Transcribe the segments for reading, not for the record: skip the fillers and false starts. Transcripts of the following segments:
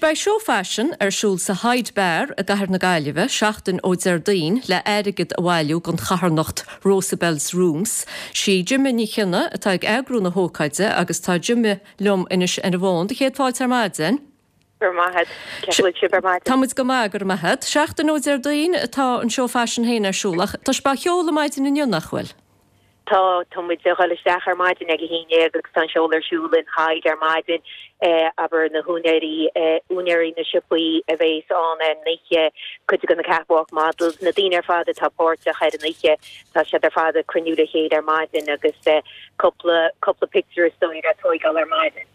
beidh seó faisin ar siúl sa Hyde Bar i gcathair na Gaillimhe seachtain ó Déardaoin le airgead a bhailiú don charthanacht Rosabelle's Rooms. Sí Jemma Ní Chionnaith atá ag eagrú na hócáide agus tá Jemma liom anois ar an bhfón. Do chéad fáilte ar maidin. Go raibh maith agat. Cén chaoi a bhfuil sibh ar maidin? Tá muid go maith, go raibh maith agat. Seachtain ó Déardaoin atá an seó faisin féin ar siúl ach tá sibh á sheoladh maidin inniu, nach bhfuil? Tá, tá muid ag dhul isteach ar maidin ag a haon dhéag agus tá an seoladh ar siúl in Hyde ar maidin. Abair na húinéirí, úinéirí na siopaí a bhéas ann ar an oíche, cuid de na catwalk models, na daoine ar fad atá páirteach ar an oíche, tá siad ar fad ag cruinniú le chéile ar maidin agus cúpla, cúpla pictiúr is dóigh le tóigeáil ar maidin.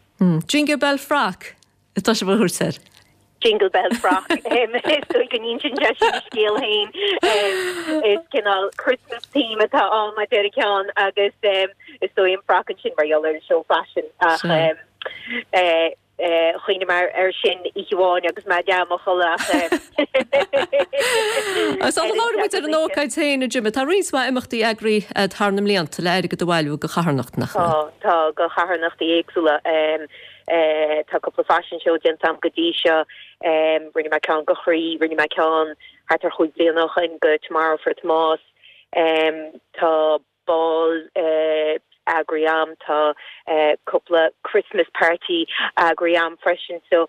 Jingle Bell Frock atá sibh a thabhairt air. Jingle Bell Frock. Is dóigh go n-insíonn sé sin a scéal féin. Is cineál Christmas theme atá ann mar deir ceann agus is dóigh an frock ansin mar gheall ar an seó faisin ach chuimhnigh mé air sin oíche amháin agus mé ag leá i mo chodladh ach Sula labhraíonn muid ar an ócáid féin, a Jemma, tá roinnt mhaith imeachtaí eagraithe agat thar na mblianta le airgead a bhailiú do charthanacht, nach bhfuil? Tá, tá, do charthanachtaí éagsúla. Tá cúpla fashion show déanta agam go dtí seo. Rinne mé ceann do Chroí, rinne mé ceann thart ar chúig bliana ó shoin do Tomorrow for Tomás. Tá ball eagraithe agam, tá cúpla Christmas party eagraithe agam freisin. So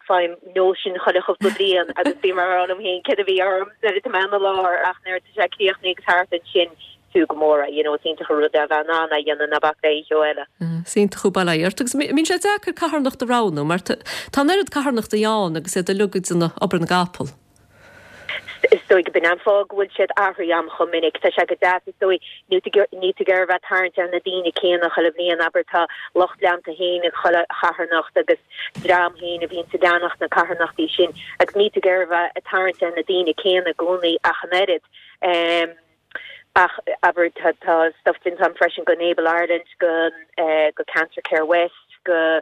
faighim notion chuile chúpla bliain agus bím ag rá liom féin céard a bhí orm nuair atá mé ina lár ach nuair atá sé críochnaithe agus thart ansin fiú go mór é, you know, is iontach an rud é a bheith in ann é a dhéanamh ná bac le aon cheo eile. Is iontach an bail ó Dhia ort. Agus mbíonn sé deacair carthanacht a roghnú mar tá an oiread carthanachtaí ann agus iad uilig ag déanamh obair na gcapall. Is dóigh go b'in an fáth go bhfuil siad athraithe agam chomh minic. Tá sé go deas, is dóigh, níl tú níl tú ag iarraidh a bheith ag tarraingt ar na daoine céanna chuile bhliain, abair tá lucht leanta féin ag chuile charthanacht agus dream féin a bhíonns ag leanacht na carthanachtaí sin agus níl tú ag iarraidh a bheith ag tarraingt ar na daoine céanna i gcónaí ach an oiread. Ach abair tá tá stuff déanta agam freisin go Enable Ireland, go go Cancer Care West, go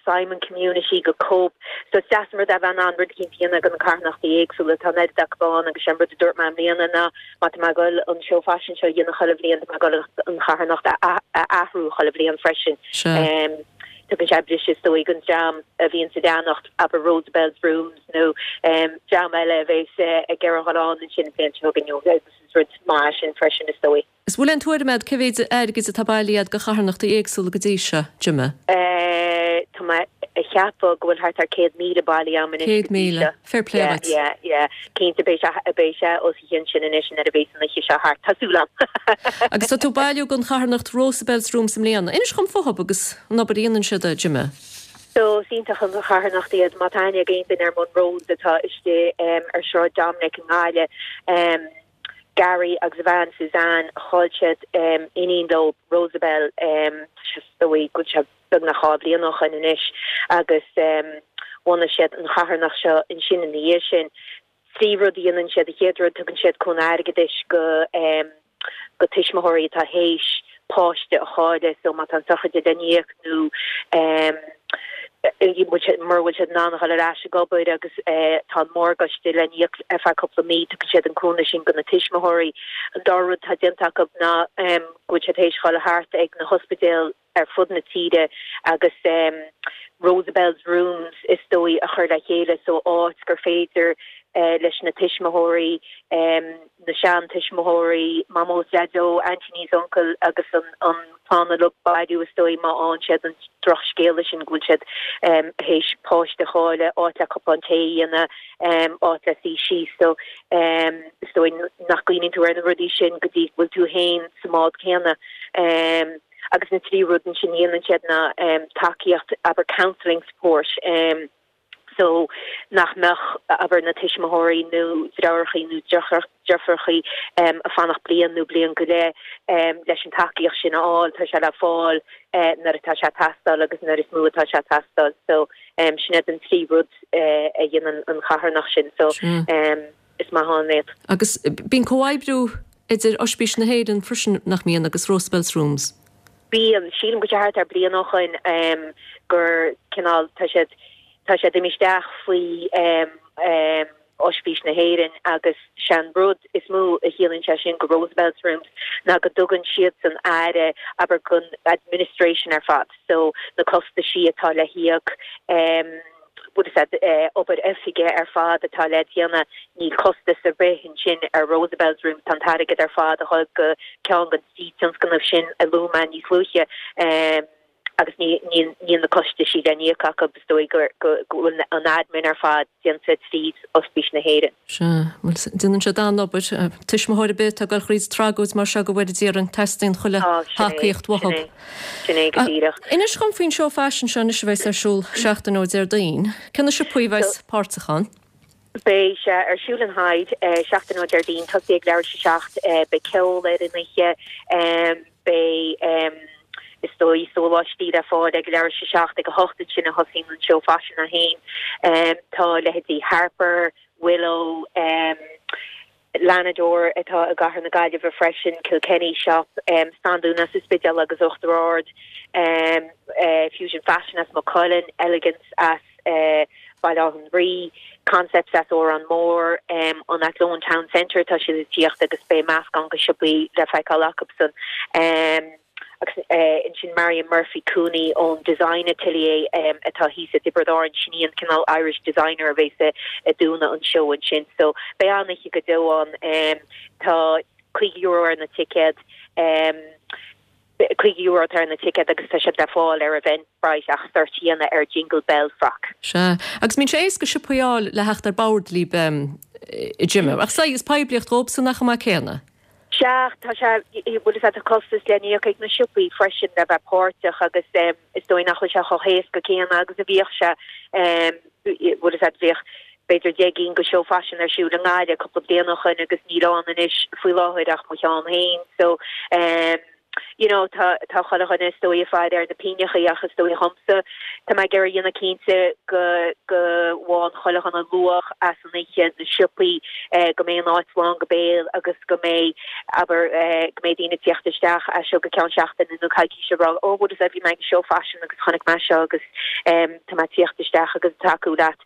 Simon Community, go Cope. So is deas an rud é a bheith in ann rud eicínt a dhéanamh do na carthanachtaí éagsúla. Tá an oiread acu ann agus sé an rud a dúirt mé i mbliana ná má tá mé ag dul an seó faisin seo a dhéanamh chuile bhliain tá mé ag dul an charthanacht a a athrú chuile bhliain freisin. Sea. Tugann sé briseadh is dóigh don dream a bhíonns ag leanacht abair Rosabelle's Rooms nó dream eile a bheas ag iarraidh a dhul ann ansin an bhliain seo chugainn nó agus is rud maith é sin freisin is dóigh. Is bhfuil aon tuairim agat cé mhéid airgid atá bailithe agat do charthanachtaí éagsúla go dtí seo, Jemma? Tá mé a cheapadh go bhfuil thart ar 100,000 bailithe agam anois go dtí seo. 100,000. Fair play Yeah, dhuit. yeah, yeah. Cinnte beidh sé, beidh sé os a chionn sin anois nuair a bheas an oíche seo thart, tá súil agam. Agus tá tú ag bailiú don charthanacht Rosabelle's Rooms i mbliana. Inis dhom fúthub agus an obair a dhéanann siad, a Jemma. So, is iontach an charthanacht iad. Má tá aithne ag aon duine ar Monroe's atá istigh ar Sráid Dominic i nGaillimh, Gary agus a bhean Suzanne, chaill siad iníon leo, Rosabelle, tá sé is dóigh go bhfuil sé beagnach 2 bhliain ó shoin anois agus bhunaigh siad an charthanacht seo ansin ina dhiaidh sin. 3 rud a dhéanann siad, an chéad rud tugann siad cúnamh airgeadais go go tuismitheoirí atá théis páiste a chailleadh so má tá an sochraid le n-íoc nó mura bhfuil siad in ann a dhul ar ais ag obair agus tá an morgáiste le n-íoc ar feadh cúpla mí tugann siad an cúnamh sin go na tuismitheoirí. An dara rud atá déanta acu ná go bhfuil siad théis dhul thart ag na hospidéil ar fud na tíre agus Rosabelle's Rooms is dóigh a chur le chéile so áit gur féidir leis na tuismitheoirí, na seantuismitheoirí, Mamó is Daideo, aintíní is uncail agus an clann uilig bailiú is dóigh má fhaigheann siad an drochscéala sin go bhfuil siad théis páiste a chailleadh, áit le cupán tae a dhéanamh, áit le suí síos so is dóigh nach gcuimhníonn tú ar na rudaí sin go dtí go bhfuil tú féin sa mbád céanna. Agus an tríú rud ansin a dhéanann siad ná tacaíocht, abair counselling support, so nach mbeadh, abair, na tuismitheoirí nó deartháireachaí nó deirfiúrachaí ag fanacht bliain nó bliain go leith leis an tacaíocht sin a fháil, tá sé le fáil nuair atá sé ag teastáil agus nuair is mó atá sé ag teastáil. So sin iad an trí rud a dhéanann an charthanacht sin. So is maith ann iad. Agus bíonn comhoibriú idir Oispís na hÉireann freisin, nach mbíonn, agus Rosabelle's Rooms? Bíonn. Sílim go bhfuil sé thart ar bliain ó shoin gur cineál, tá siad, tá siad imithe isteach faoi. Oispís na hÉireann agus sé'n rud is mó a chiallaíonn sé sin go Rosabelle's Rooms ná go dtugann siadsan aire, abair, gon administration ar fad, so na costaisí atá le híoc, bhfuil fhios a'd, obair oifige ar fad atá le déanamh, níl costas ar bith ansin ar Rosabelle's Rooms, tá an t-airgead ar fad a dhul go ceann den trí tionscnamh sin a luaigh mé níos luaithe. Agus níl na costaisí le n-íoc acu, is dóigh go bhfuil an admin ar fad déanta tríd Ospís na hÉireann. Sea, bhuel, déanann siad an-obair. Tuismitheoir ar bith atá ag dul thríd tragóid mar seo go bhfóire Dia orainn, teastaíonn chuile thacaíocht uathu. Sin é, sin é go díreach. Inis dhom faoin seó faisin seo anois a bheas ar siúl seachtain ó Déardaoin. Cé na siopaí a bheas páirteach ann? Beidh sé ar siúl in Hyde seachtain ó Déardaoin, tosaí ag leathuair tar éis a 7. Beidh ceol ar an oíche. Beidh, is dóigh, sóláistí le fáil ag leathuair tar éis a 7, ag 8 ansin a thosaíonn an seó faisin é féin. Tá leithéidí Harper, Willow, Lanador atá i gcathair na Gaillimhe freisin, Kilkenny Shop, Standún as an Spidéal agus Uachtar Ard, Fusion Fashion as Maigh Cuilinn, Elegance as. Baile Átha an Rí, Concepts as Órán Mór, an Athlone Town Centre, tá siad ag tíocht agus beidh meascán de shiopaí le feiceáil acusan. Agus ansin Marion Murphy Cooney ón Design Atelier atá thíos i dTiobraid Árann, sin í an cineál Irish designer a bheas ag dúnadh an seó ansin. So beidh an-oíche go deo ann. Tá €50 ar na ticéid. €50 atá ar na ticéid agus tá siad le fáil ar Eventbrite ach search a dhéanamh ar Jingle Bell Frock. Sea, agus mbíonn sé éasca siopaí a fháil le theacht ar bord libh a Jimmy. Ach saghas poiblíocht dhóibhsan nach cuma céanna? Sea, tá sé, bhuel is ea tá costas le n-íoc ag na siopaí freisin le bheith páirteach agus is dóigh nach bhfuil sé chomh héasca céanna agus a bhíodh sé, bhuel is ea bhíodh b'fhéidir 10 gcinn de seó faisin ar siúl i nGaillimh cúpla bliain ó shoin agus níl ann anois faoi láthair ach mo cheann féin so you know tá tá chuile dhuine is dóigh ag faire ar na pingneachaí ach is dóigh dhomsa tá mé ag iarraidh a dhéanamh cinnte go go bhfaigheann chuile dhuine luach as an oíche na siopaí go mbeidh an áit lán go béal agus go mbeidh abair go mbeidh daoine ag tíocht isteach as seo go ceann seachtaine nó coicíse ag rá oh bhuel is bhí mé ag an seó faisin agus chonaic mé seo agus tá mé ag tíocht isteach agus ag tacú leat.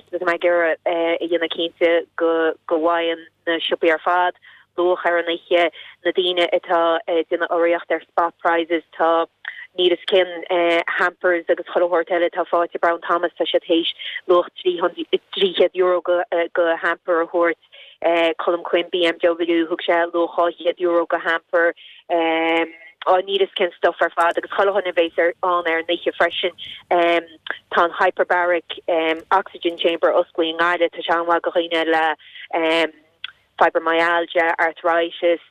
So tá mé ag iarraidh a dhéanamh cinnte go go bhfaigheann na siopaí ar fad luach ar an oíche, na daoine atá ag déanamh urraíocht ar spot prizes, tá níl fhios cén hampers agus chuile shórt eile atá faighte ag Brown Thomas, tá siad théis luach €300 go go hamper a thabhairt, Colm Quinn BMW, thug sé luach €200 go hamper. Á, níl fhios cén stuff ar fad agus chuile dhuine a bhéas ar ann ar an oíche freisin. Tá an hyperbaric oxygen chamber osclaithe i nGaillimh, tá sé an-mhaith do dhaoine le fibromyalgia, arthritis,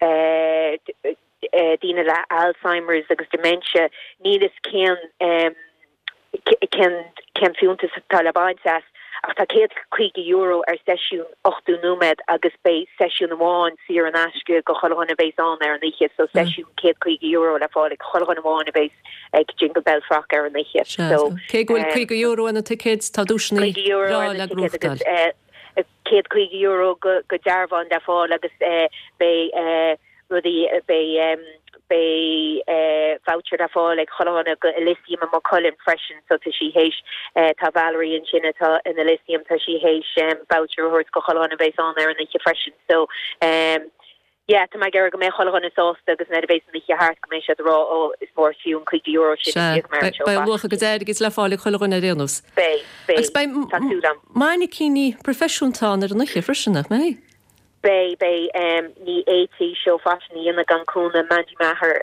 daoine le Alzheimer's agus dementia. Níl fhios cén. cén fiúntas atá le baint as, ach tá €150 ar seisiún 80 nóiméad agus beidh seisiún amháin saor in aisce go chuile dhuine a bheas ann ar an oíche, so seisiún €150 le fáil ag chuile dhuine amháin a bheas ag Jingle Bell Frock ar an oíche. So, cé go bhfuil €50 ar na ticéid, tá duaiseanna breá le gnóthachtáil. €150 go dearbhán le fáil agus beidh rudaí, beidh beidh voucher le fáil ag chuile dhuine go Elysium i Maigh Cuilinn freisin so tá sí théis, tá Valerie ansin atá in Elysium, tá sí théis voucher a thabhairt go chuile dhuine a bheas ann ar an oíche freisin so yeah tá mé ag iarraidh go mbeidh chuile dhuine sásta agus nuair a bheas an oíche thart go mbeidh siad ag rá oh is mór is fiú an €50 sin a d'íoc mé ar an seó Beidh luach a gcuid airgid le fáil ag chuile dhuine ar aon nós. Beidh, beidh, Agus beidh tá súil agam. mainicíní proifisiúnta ann ar an oíche freisin, nach mbeidh? Beidh, beidh. Ní fhéadfaí seó faisin a dhéanamh gan cúnamh Mandy Maher.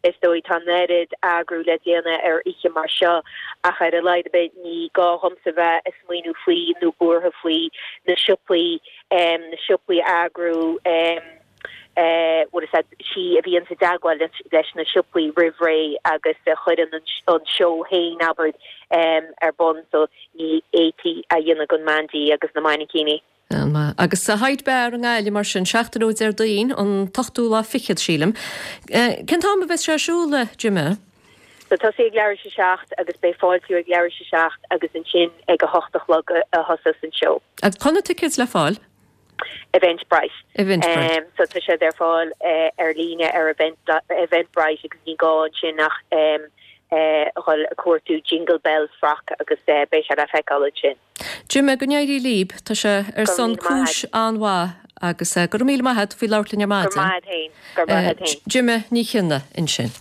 Is dóigh tá an oiread eagrú le déanamh ar oíche mar seo ach ar a laghad ar bith ní gá dhomsa bheith ag smaoineamh faoi nó buartha faoi na siopaí, na siopaí a eagrú. Bhuel is í a bhíonn i dteagmháil leis na siopaí roimh ré agus a chuireann an seó féin, abair, ar bun so ní fhéadfaí a dhéanamh gan Mandy agus na mainicíní. An-mhaith. Agus sa Hyde Bar i nGaillimh mar sin, seachtain ó Déardaoin, an t-ochtú lá fichead, sílim. Cén t-am a bheas sé ar siúl, a Jimmy? So tosaí ag leathuair tar éis a 7 agus beidh fáiltiú ag leathuair tar éis a 7 agus ansin ag a hocht a chlog a thosós an seó. Agus cá bhfuil na ticéid le fáil? Eventbrite. Eventbrite. So tá siad ar fáil ar líne ar Eventbrite agus ní gá ansin ach. a dhul ag cuartú Jingle Bell Frock agus beidh sé le feiceáil ansin. Jime, go n-éirí líb. Tá sé ar son cúis an-mhaith agus go raibh míle maith a't faoi labhairt linn ar maidin. Go raibh maith a't fhéin. Go raibh maith a't fhéin. Jime Ní Chionnaith ansin.